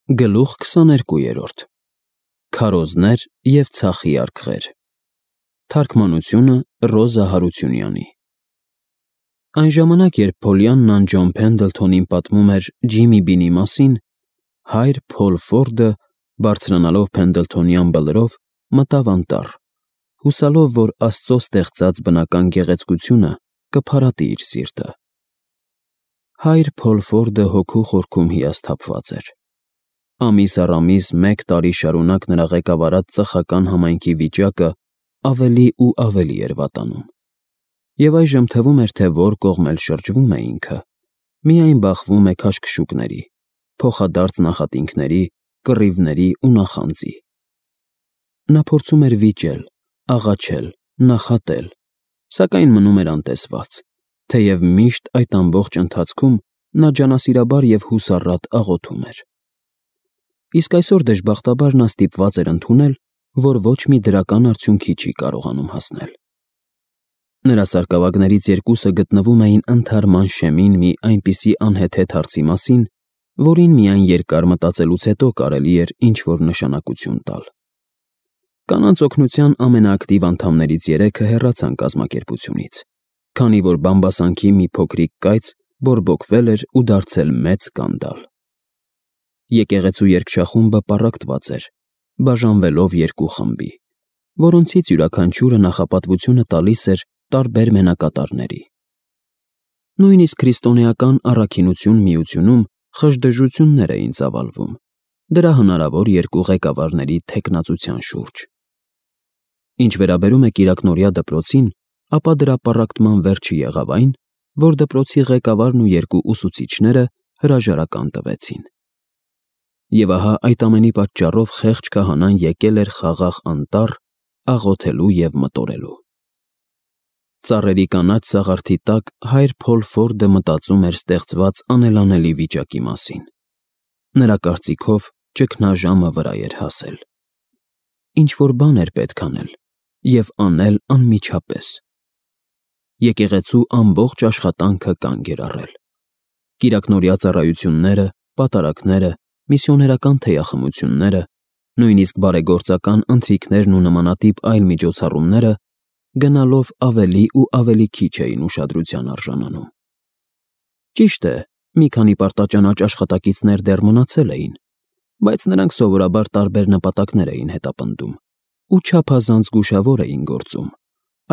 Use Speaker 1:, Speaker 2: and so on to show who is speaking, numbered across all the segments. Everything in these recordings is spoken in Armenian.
Speaker 1: Գլուխ 22. Քարոզներ և ցախի արկղեր։ Թարգմանությունը Ռոզա Հարությունյանի։ Այն ժամանակ, երբ Փոլիաննան Ջոն Փենդլթոնին պատմում էր Ջիմի Բինի մասին, հայր Փոլ Ֆորդը, բարձրանալով Փենդլթոնյան բլրով, մտավ անտառ, հուսալով, որ Աստծո ստեղծած բնական գեղեցկությունը կփարատի իր սիրտը։ Հայր Փոլ Ֆորդը հոգու խորքում հիասթափված էր։ Ամիս առ ամիս 1 տարի շարունակ նրա ղեկավարած ծխական համայնքի վիճակը ավելի ու ավելի էր վատանում։ Եվ այժմ թվում էր, թե որ կողմ էլ շրջվում է ինքը, միայն բախվում է քաշքշուկների, փոխադարձ նախատինքների, կռիվների ու նախանձի։ Նա փորձում էր վիճել, աղաչել, նախատել, սակայն մնում էր անտեսված, թեև միշտ այդ ամբողջ ընթացքում նա ջանասիրաբար և հուսառատ աղոթում էր։ Իսկ այսօր դժբախտաբար նա ստիպված էր ընդունել, որ ոչ մի դրական արդյունքի չի կարողանում հասնել։ Նրա սարկավագներից երկուսը գտնվում էին ընդհարման շեմին մի այնպիսի անհեթեթ հարցի մասին, որին միայն երկար մտածելուց հետո կարելի էր ինչ-որ նշանակություն տալ։ Կանանց օգնության ամենաակտիվ անդամներից 3-ը հեռացան կազմակերպությունից, քանի որ բամբասանքի մի փոքրիկ կայծ բորբոքվել էր ու դարձել մեծ սկանդալ։ Եկեղեցու երգչախումբը պառակտված էր, բաժանվելով 2 խմբի, որոնցից յուրաքանչյուրը նախապատվությունը տալիս էր տարբեր մենակատարների։ Նույնիսկ քրիստոնեական առաքինություն միությունում խժդժություններ էին ծավալվում, դրա հնարավոր 2 ղեկավարների թեկնածության շուրջ։ Ինչ վերաբերում է Կիրակնօրյա դպրոցին, ապա դրա պառակտման վերջը եղավ այն, որ դպրոցի ղեկավարն ու 2 ուսուցիչները հրաժարական տվեցին։ Եվ ահա այդ ամենի պատճառով խեղճ քահանան եկել էր խաղաղ անտառ, աղոթելու և մտորելու։ Ծառերի կանաչ սաղարթի տակ հայր Փոլ Ֆորդը մտածում էր ստեղծված անելանելի վիճակի մասին։ Նրա կարծիքով ճգնաժամը վրա էր հասել։ Ինչ-որ բան էր պետք անել, և անել անմիջապես։ Եկեղեցու ամբողջ աշխատանքը կանգ էր առել։ Կիրակնօրյա ծառայությունները, պատարագները, միսիոներական թեյախմությունները, նույնիսկ բարեգործական ընթրիքներն ու նմանատիպ այլ միջոցառումները գնալով ավելի ու ավելի քիչ էին ուշադրության արժանանում։ Ճիշտ է, մի քանի պարտաճանաչ աշխատակիցներ դեռ մնացել էին, բայց նրանք սովորաբար տարբեր նպատակներ էին հետապնդում ու չափազանց զգուշավոր էին գործում,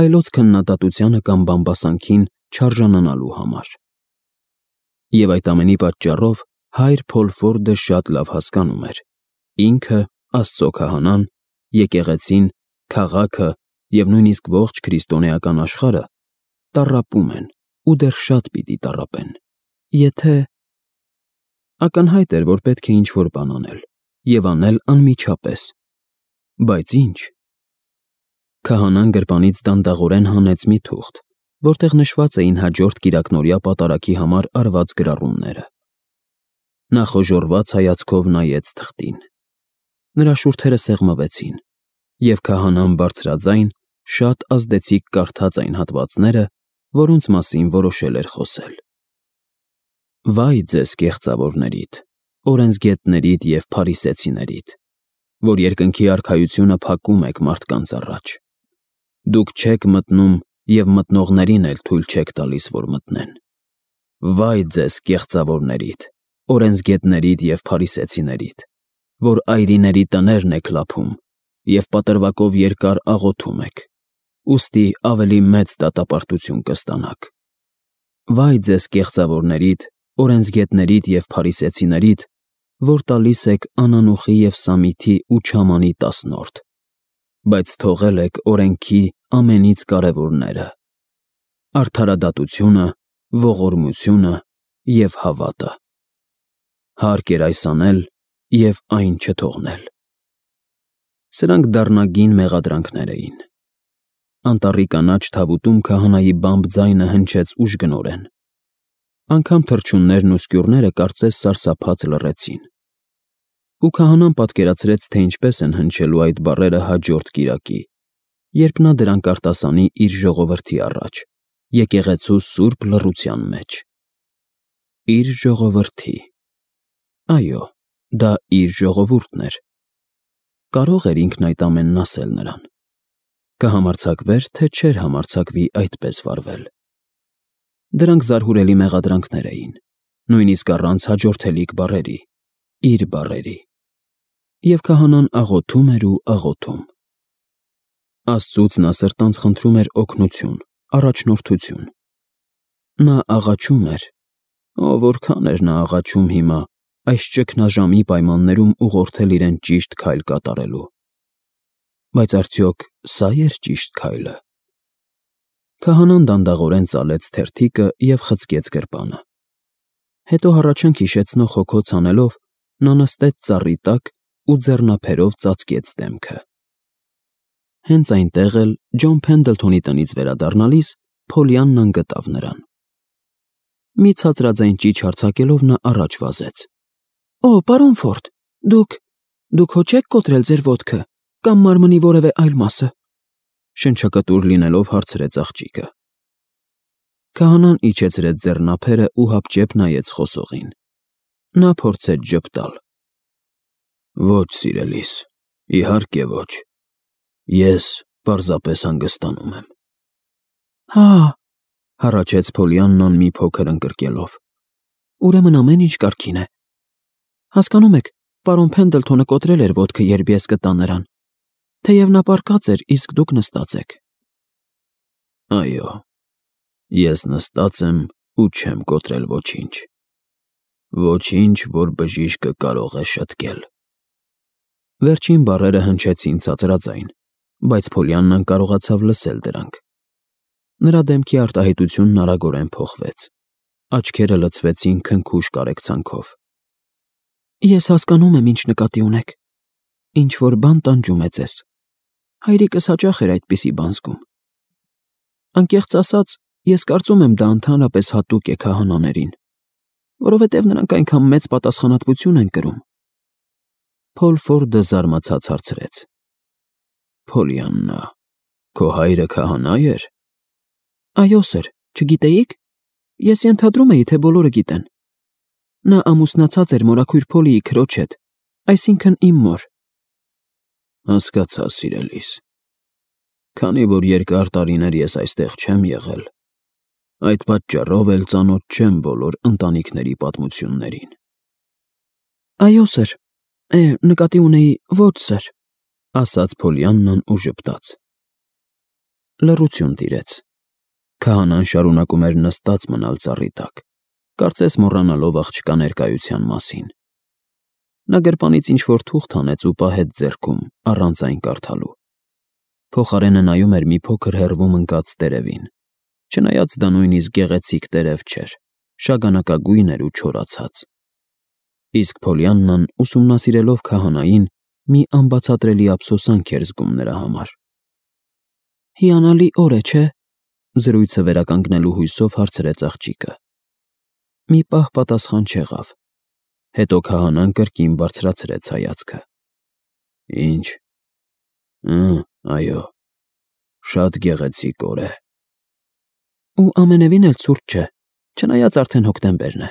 Speaker 1: այլոց քննադատությանը կամ բամբասանքին չարժանանալու համար։ Եվ այդ ամենի պատճառով հայր Փոլ Ֆորդը շատ լավ հասկանում էր. ինքը, Աստծո քահանան, եկեղեցին, քաղաքը և նույնիսկ ողջ քրիստոնեական աշխարհը տառապում են ու դեռ շատ պիտի տառապեն, եթե… Ակնհայտ էր, որ պետք է ինչ-որ բան անել, և անել անմիջապես։ Բայց ի՞նչ։ Քահանան գրպանից դանդաղորեն հանեց մի թուղթ, որտեղ նշված էին հաջորդ կիրակնօրյա պատարագի համար արված գրառումները։ Նա խոժոռված հայացքով նայեց թղթին։ Նրա շուրթերը սեղմվեցին, և քահանան բարձրաձայն, շատ ազդեցիկ կարդաց այն հատվածները, որոնց մասին որոշել էր խոսել։ Վայ ձեզ կեղծավորներիդ, օրենսգետներիդ և փարիսեցիներիդ, որ երկնքի արքայությունը փակում եք մարդկանց առաջ։ Դուք չեք մտնում և մտնողներին էլ թույլ չեք տալիս, որ մտնեն։ Վայ ձեզ կեղծավորներիդ, օրենսգետներիդ և փարիսեցիներիդ, որ այրիների տներն եք լափում և պատրվակով երկար աղոթում եք, ուստի ավելի մեծ դատապարտություն կստանաք։ Վայ ձեզ կեղծավորներիդ, օրենսգետներիդ և փարիսեցիներիդ, որ տալիս եք անանուխի և սամիթի ու չամանի տասնորդ, բայց թողել եք օրենքի ամենից կարևորները՝ արդարադատությունը, ողորմությունը և հավատը։ Հարկ էր այս անել և այն չթողնել։ Սրանք դառնագին մեղադրանքներ էին։ Անտառի կանաչ թավուտում քահանայի բամբ ձայնը հնչեց ուժգնորեն։ Անգամ թռչուններն ու սկյուռները կարծես սարսափած լռեցին։ Ու քահանան պատկերացրեց, թե ինչպես են հնչելու այդ բառերը հաջորդ կիրակի, երբ նա դրանք արտասանի իր ժողովրդի առաջ, եկեղեցու սուրբ լռության մեջ։ Իր ժողովրդի… Այո, Դա իր ժողովուրդն էր։ Կարող էր ինքն այդ ամենն ասել նրան։ Կհամարձակվեր, թե չէր համարձակվի այդպես վարվել։ Դրանք զարհուրելի մեղադրանքներ էին, նույնիսկ առանց հաջորդելիք բառերի, իր բառերի։ Եվ քահանան աղոթում էր ու աղոթում։ Աստծուց նա սրտանց խնդրում էր օգնություն, առաջնորդություն։ Նա աղաչում էր, որքան էր նա աղաչում հիմա, այս ճգնաժամի պայմաններում ուղղորդել իրեն ճիշտ քայլ կատարելու։ Բայց արդյոք սա էր ճիշտ քայլը։ Քահանան դանդաղորեն ծալեց թերթիկը և խցկեց գրպանը։ Հետո հառաչանք հիշեցնող հոգոց անելով, նա նստեց ծառի տակ ու ձեռնափերով ծածկեց դեմքը։ Հենց այնտեղ էլ Ջոն Փենդլթոնի տնից վերադառնալիս Փոլիաննան գտավ նրան։ Մի ցածրաձայն ճիչ հարձակելով նա առաջ վազեց։ Օ, պարոն Ֆորդ, դուք հո չեք կոտրել ձեր ոտքը կամ մարմնի որևէ այլ մասը, շնչակտուր լինելով հարցրեց աղջիկը։ Քահանան իջեցրեց ձեռնափերը ու հապճեպ նայեց խոսողին։ Նա փորձեց ժպտալ։ Ոչ, սիրելիս, իհարկե ոչ։ Ես պարզապես հանգստանում եմ։ Հա, հառաչեց Փոլիաննան մի փոքր ընկրկելով։ Ուրեմն ամեն ինչ կարգին է։ Հասկանում եք, պարոն Փենդլթոնը կոտրել էր ոտքը, երբ ես գտա նրան։ Թեև նա պառկած էր, իսկ դուք նստած եք։ Այո, ես նստած եմ ու չեմ կոտրել ոչինչ։ Ոչինչ, որ բժիշկը կարող է շտկել։ Վերջին բառերը հնչեցին ցածրաձայն, բայց Փոլիաննան կարողացավ լսել դրանք։ Նրա դեմքի արտահայտությունն արագորեն փոխվեց։ Աչքերը լցվեցին քնքուշ կարեկցանքով։ Ես հասկանում եմ, ինչ նկատի ունեք։ Ինչ-որ բան տանջում է ձեզ։ Հայրիկս հաճախ էր այդպիսի բան զգում։ Անկեղծ ասած, ես կարծում եմ դա ընդհանրապես հատուկ է քահանաներին, որովհետև նրանք այնքան մեծ պատասխանատվություն են կրում։ Փոլ Ֆորդը զարմացած հարցրեց. Փոլիաննա, քո հայրը քահանա էր։ Այո, սեր, չգիտեիք։ Ես ենթադրում էի, թե բոլորը գիտեն։ Նա ամուսնացած էր մորաքույր Փոլիի քրոջ հետ, այսինքն իմ մոր։ Հասկացա, սիրելիս։ Քանի որ երկար տարիներ ես այստեղ չեմ եղել, այդ պատճառով էլ ծանոթ չեմ բոլոր ընտանիքների պատմություններին։ Այո, սեր, նկատի ունեի, ոչ, սեր, ասաց Փոլիաննան ու ժպտաց։ Լռություն տիրեց։ Քահանան շարունակում էր նստած մնալ ծառի տակ, կարծես մոռանալով աղջկա ներկայության մասին։ Նա գրպանից ինչ-որ թուղթ հանեց ու պահեց ձեռքում, առանց այն կարդալու։ Փոխարենը նայում էր մի փոքր հեռվում ընկած տերևին, չնայած դա նույնիսկ գեղեցիկ տերև չէր, շագանակագույն էր ու չորացած։ Իսկ Փոլիաննան, ուսումնասիրելով քահանային, մի անբացատրելի ափսոսանք էր զգում նրա համար։ Հիանալի օր է, չէ՞, զրույցը վերականգնելու հույսով հարցրեց աղջիկը։ Մի պահ պատասխան չեղավ։ Հետո քահանան կրկին բարձրացրեց հայացքը։ Ինչ։ Այո, շատ գեղեցիկ օր է։ Ու ամենևին էլ ցուրտ չէ, չնայած արդեն հոկտեմբերն է,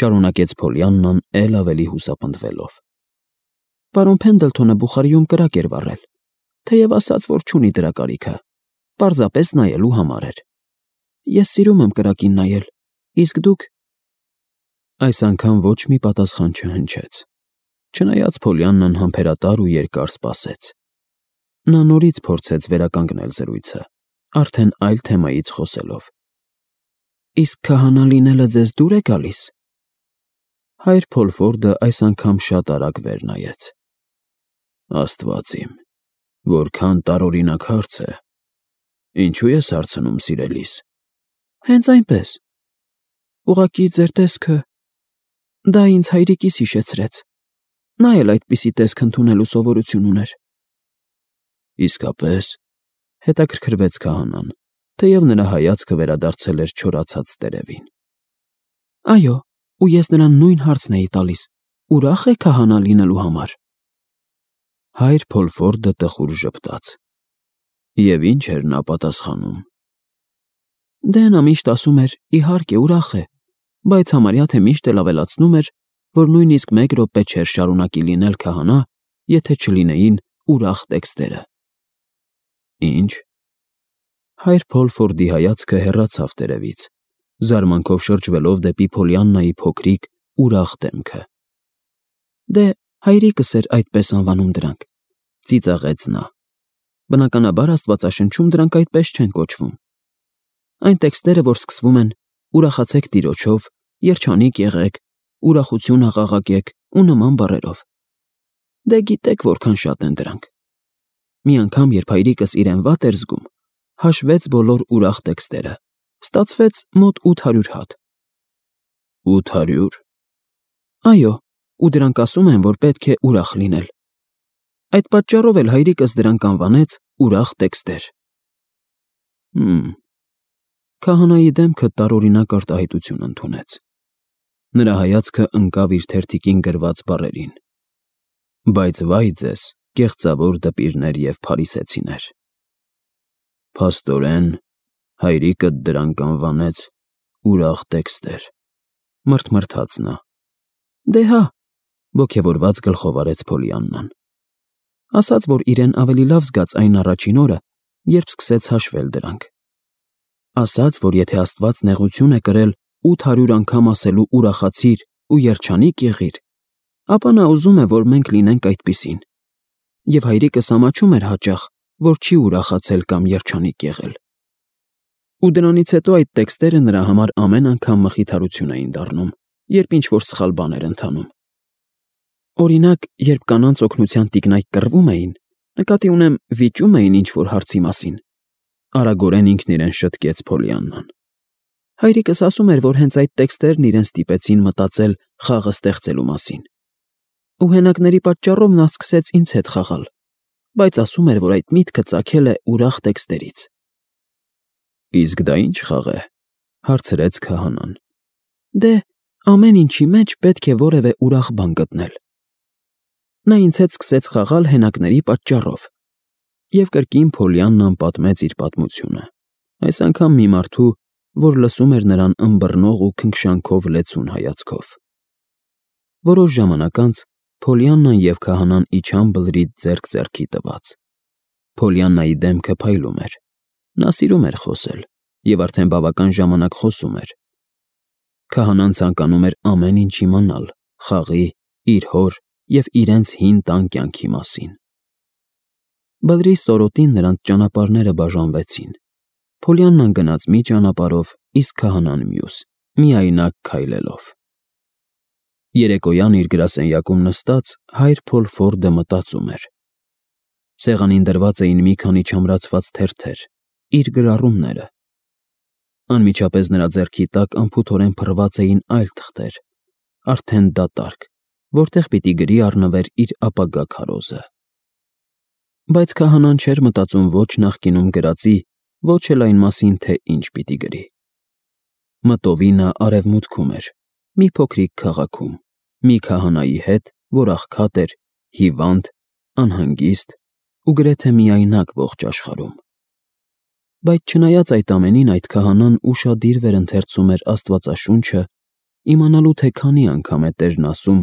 Speaker 1: շարունակեց Փոլիաննան էլ ավելի հուսապնդվելով։ Պարոն Փենդլթոնը Բուխարիում կրակ էր վառել, թեև ասաց, որ չունի դրա կարիքը, պարզապես նայելու համար էր։ Ես սիրում եմ կրակին նայել, իսկ դուք… Այս անգամ ոչ մի պատասխան չհնչեց, չնայած Փոլիաննան համբերատար ու երկար սպասեց։ Նա նորից փորձեց վերականգնել զրույցը, արդեն այլ թեմայից խոսելով։ Իսկ քահանա լինելը ձեզ դուր է գալիս։ Հայր Փոլ Ֆորդը այս անգամ շատ արագ վեր նայեց։ Աստված իմ, որքան տարօրինակ հարց է։ Ինչու ես հարցնում, սիրելիս։ Հենց այնպես։ Ուղղակի ձեր տեսքը… Դա ինձ հայրիկիս հիշեցրեց։ Նա էլ այդպիսի տեսք ընդունելու սովորություն ուներ։ Իսկապես, հետաքրքրվեց քահանան, թեև նրա հայացքը վերադարձել էր չորացած տերևին։ Այո, ու ես նրան նույն հարցն էի տալիս. ուրախ է քահանա լինելու համար։ Հայր Փոլ Ֆորդը տխուր ժպտաց։ Եվ ինչ էր նա պատասխանում։ Դե նա միշտ ասում էր, իհարկե, ուրախ է, բայց համարյա թե միշտ էլ ավելացնում էր, որ նույնիսկ մեկ րոպե չէր շարունակի լինել քահանա, եթե չլինեին ուրախ տեքստերը։ Ինչ։ Հայր Փոլֆորդի հայացքը հեռացավ տերևից, զարմանքով շրջվելով դեպի Փոլիաննայի փոքրիկ, ուրախ դեմքը։ Դե, հայրիկս էր այդպես անվանում դրանք, ծիծաղեց նա։ Բնականաբար Աստվածաշնչում դրանք այդպես չեն կոչվում։ Այն տեքստերը, որ սկսվում են «Ուրախացեք Տիրոջով», «Երջանիկ եղեք», «Ուրախություն աղաղակեք» ու նման բառերով։ Դե գիտեք որքան շատ են դրանք։ Մի անգամ, երբ հայրիկս իրեն վատ էր զգում, հաշվեց բոլոր ուրախ տեքստերը, ստացվեց մոտ 800 հատ։ 800։ Այո, ու դրանք ասում են, որ պետք է ուրախ լինել։ Այդ պատճառով էլ հայրիկս դրանք անվանեց ուրախ տեքստեր։ Քահանայի դեմքը տարօրինակ արտահայտություն ընդունեց։ Նրա հայացքը ընկավ իր թերթիկին գրված բառերին։ Բայց վայ ձեզ, կեղծավոր դպիրներ և փարիսեցիներ։ Փաստորեն, հայրիկդ դրանք անվանեց ուրախ տեքստեր, մրթմրթաց նա։ Դե հա, ոգևորված գլխով արեց Փոլիաննան։ Ասաց, որ իրեն ավելի լավ զգաց այն առաջին օրը, երբ սկսեց հաշվել դրանք։ Ասաց, որ եթե Աստված նեղություն է կրել 800 անգամ ասելու ուրախացիր ու երջանիկ եղիր, ապա նա ուզում է, որ մենք լինենք այդպիսին։ Եվ հայրիկս ամաչում էր հաճախ, որ չի ուրախացել կամ երջանիկ եղել։ Ու դրանից հետո այդ տեքստերը նրա համար ամեն անգամ մխիթարություն էին դառնում, երբ ինչ-որ սխալ բան էր ընթանում։ Օրինակ, երբ կանանց օգնության տիկնայք կռվում էին, նկատի ունեմ վիճում էին ինչ-որ հարցի մասին, արագորեն ինքն իրեն շտկեց Փոլիաննան։ Հայրիկս ասում էր, որ հենց այդ տեքստերն իրեն ստիպեցին մտածել խաղը ստեղծելու մասին։ Ու հենակների պատճառով նա սկսեց ինձ հետ խաղալ, բայց ասում էր, որ այդ միտքը ծագել է ուրախ տեքստերից։ Իսկ դա ինչ խաղ է, հարցրեց քահանան։ Դե, ամեն ինչի մեջ պետք է որևէ ուրախ բան գտնել։ Նա ինձ հետ սկսեց խաղալ հենակների պատճառով։ Եվ կրկին Փոլիաննան պատմեց իր պատմությունը, այս անգամ մի մարդու, որ լսում էր նրան ըմբռնող ու քնքշանքով լեցուն հայացքով։ Որոշ ժամանակ անց Փոլիաննան և քահանան իջան բլրից ձեռք ձեռքի տված։ Փոլիաննայի դեմքը փայլում էր։ Նա սիրում էր խոսել և արդեն բավական ժամանակ խոսում էր։ Քահանան ցանկանում էր ամեն ինչ իմանալ խաղի, իր հոր և իրենց հին տան կյանքի մասին։ Բլրի ստորոտին նրանց ճանապարհները բաժանվեցին։ Փոլիաննան գնաց մի ճանապարհով, իսկ քահանան մյուս, միայնակ քայլելով։ Երեկոյան իր գրասենյակում նստած հայր Փոլֆորդը մտածում էր։ Սեղանին դրված էին մի քանի չամրացված թերթեր, իր գրառումները։ Անմիջապես նրա ձեռքի տակ անփութորեն փռված էին այլ թղթեր, արդեն դատարկ, որտեղ պիտի գրի առնվեր իր ապագա քարոզը։ Բայց քահանան չէր մտածում ոչ նախկինում գրածի, ոչ էլ այն մասին, թե ինչ պիտի գրի։ Մտովի նա արևմուտքում էր, մի փոքրիկ քաղաքում, մի քահանայի հետ, որ աղքատ էր, հիվանդ, անհանգիստ ու գրեթե միայնակ ողջ աշխարհում։ Բայց չնայած այդ ամենին, այդ քահանան ուշադիր վերընթերցում էր Աստվածաշունչը, իմանալու թե քանի անգամ է Տերն ասում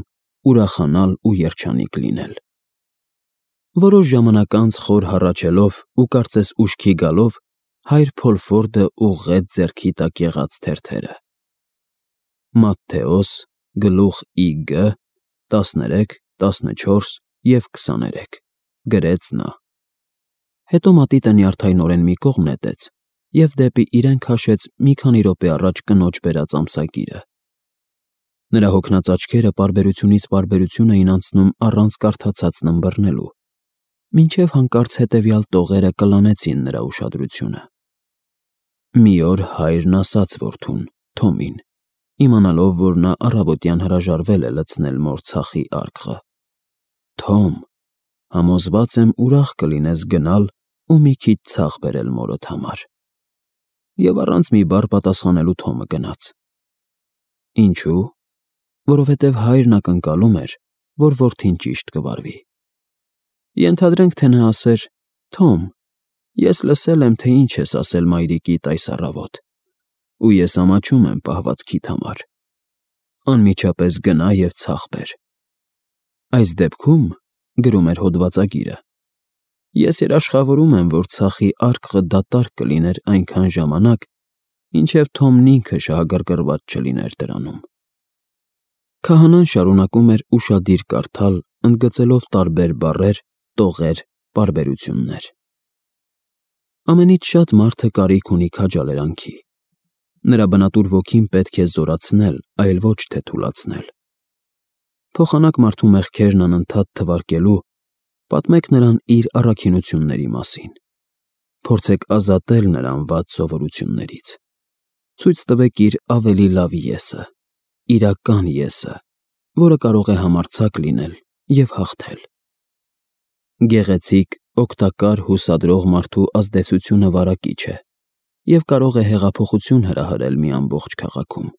Speaker 1: ուրախանալ ու երջանիկ լինել։ Որոշ ժամանակ անց խոր հառաչելով ու կարծես ուշքի գալով, հայր Փոլֆորդը ուղղեց ձեռքի տակ եղած թերթերը։ Մատթեոս, գլուխ IG, 13, 14 և 23, գրեց նա։ Հետո մատիտը նյարդայնորեն մի կողմ նետեց և դեպի իրեն քաշեց մի քանի րոպե առաջ կնոջ բերած ամսագիրը։ Նրա հոգնած աչքերը պարբերությունից պարբերություն էին անցնում առանց կարդացածն ըմբռնելու, մինչև հանկարծ հետևյալ տողերը կլանեցին նրա ուշադրությունը։ Մի օր հայրն ասաց որդուն, Թոմին, իմանալով, որ նա առավոտյան հրաժարվել է լցնել մոր ցախի արկղը. Թոմ, համոզված եմ ուրախ կլինես գնալ ու մի քիչ ցախ բերել մորդ համար։ Եվ առանց մի բառ պատասխանելու Թոմը գնաց։ Ինչու՞։ Որովհետև հայրն ակնկալում էր, որ որդին ճիշտ կվարվի։ Ենթադրենք, թե նա ասեր. Թոմ, ես լսել եմ, թե ինչ ես ասել մայրիկիդ այս առավոտ, ու ես ամաչում եմ պահվածքիդ համար։ անմիջապես գնա և ցախ բեր։ Այս դեպքում, գրում էր հոդվածագիրը, ես երաշխավորում եմ, որ ցախի արկղը դատարկ կլիներ այնքան ժամանակ, մինչև Թոմն ինքը շահագրգռված չլիներ դրանում։ Քահանան շարունակում էր ուշադիր կարդալ, ընդգծելով տարբեր բառեր, տողեր, պարբերություններ։ Ամենից շատ մարդը կարիք ունի քաջալերանքի։ Նրա բնատուր ոգին պետք է զորացնել, այլ ոչ թե թուլացնել։ Փոխանակ մարդու մեղքերն անընդհատ թվարկելու, պատմեք նրան իր առաքինությունների մասին։ Փորձեք ազատել նրան վատ սովորություններից։ Ցույց տվեք իր ավելի լավ եսը, իրական եսը, որը կարող է համարձակ լինել և հաղթել։ Գեղեցիկ, օգտակար, հուսադրող մարդու ազդեցությունը վարակիչ է և կարող է հեղափոխություն հրահրել մի ամբողջ քաղաքում։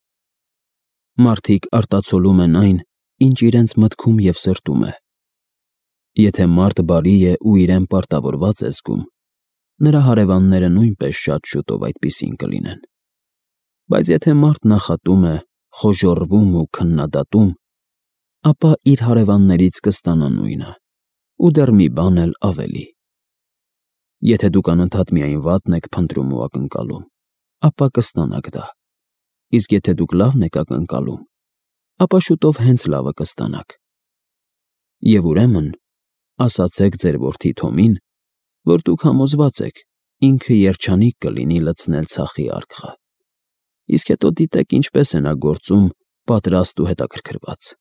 Speaker 1: Մարդիկ արտացոլում են այն, ինչ իրենց մտքում և սրտում է։ Եթե մարդ բարի է ու իրեն պարտավորված է զգում, նրա հարևանները նույնպես շատ շուտով այդպիսին կլինեն։ Բայց եթե մարդ նախատում է, խոժոռվում ու քննադատում, ապա իր հարևաններից կստանա նույնը, ու դեռ մի բան էլ ավելի։ Եթե դուք անընդհատ միայն վատն եք փնտրում ու ակնկալում, ապա կստանաք դա, իսկ եթե դուք լավն եք ակնկալում, ապա շուտով հենց լավը կստանաք։ Եվ ուրեմն, ասացեք ձեր որդի Թոմին, որ դուք համոզված եք, ինքը երջանիկ կլինի լցնել ցախի արկղը, իսկ հետո դիտեք ինչպես է նա գործում, պատրաստ ու հետաքրքրված։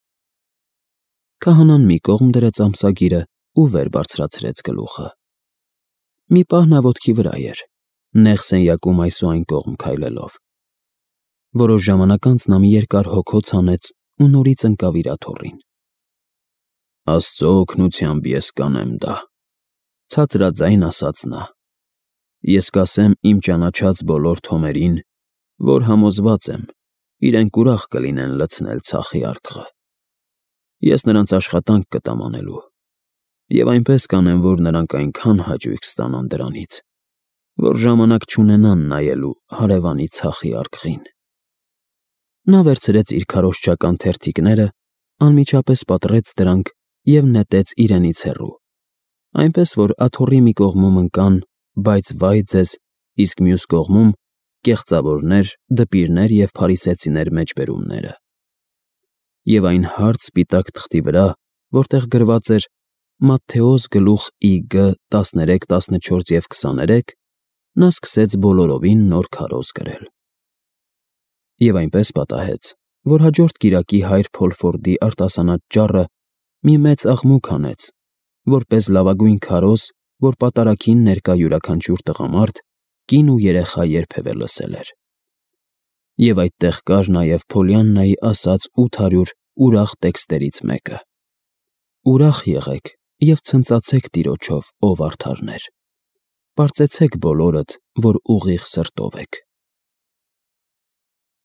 Speaker 1: Քահանան մի կողմ դրեց ամսագիրը ու վեր բարձրացրեց գլուխը։ Մի պահ նա ոտքի վրա էր, նեղ սենյակում այս ու այն կողմ քայլելով։ Որոշ ժամանակ անց նա մի երկար հոգոց հանեց ու նորից ընկավ իր աթոռին։ Աստծո օգնությամբ ես կանեմ դա, ցածրաձայն ասաց նա։ Ես կասեմ իմ ճանաչած բոլոր Թոմերին, որ համոզված եմ, իրենք ուրախ կլինեն լցնել ցախի արկղը։ Ես նրանց աշխատանք կտամ անելու, և այնպես կանեմ, որ նրանք այնքան հաճույք ստանան դրանից, որ ժամանակ չունենան նայելու հարևանի ցախի արկղին։ Նա վերցրեց իր քարոզչական թերթիկները, անմիջապես պատռեց դրանք և նետեց իրենից հեռու, այնպես որ աթոռի մի կողմում ընկան «Բայց վայ ձեզ», իսկ մյուս կողմում «Կեղծավորներ, դպիրներ և փարիսեցիներ» մեջբերումները։ Եվ այն հարթ սպիտակ թղթի վրա, որտեղ գրված էր Մատթեոս գլուխ Իգ 13, 14 և 23, նա սկսեց բոլորովին նոր քարոզ գրել։ Եվ այնպես պատահեց, որ հաջորդ կիրակի հայր Փոլֆորդի արտասանած ճառը մի մեծ աղմուկ հանեց, որպես լավագույն քարոզ, որ պատարագին ներկա յուրաքանչյուր տղամարդ, կին ու երեխա երբևէ լսել էր։ Եվ այդտեղ կար նաև Փոլիաննայի ասած 800 ուրախ տեքստերից մեկը. Ուրախ եղեք և ցնծացեք Տիրոջով, ով արդարներ։ Պարծեցեք բոլորդ, որ ուղիղ սրտով եք։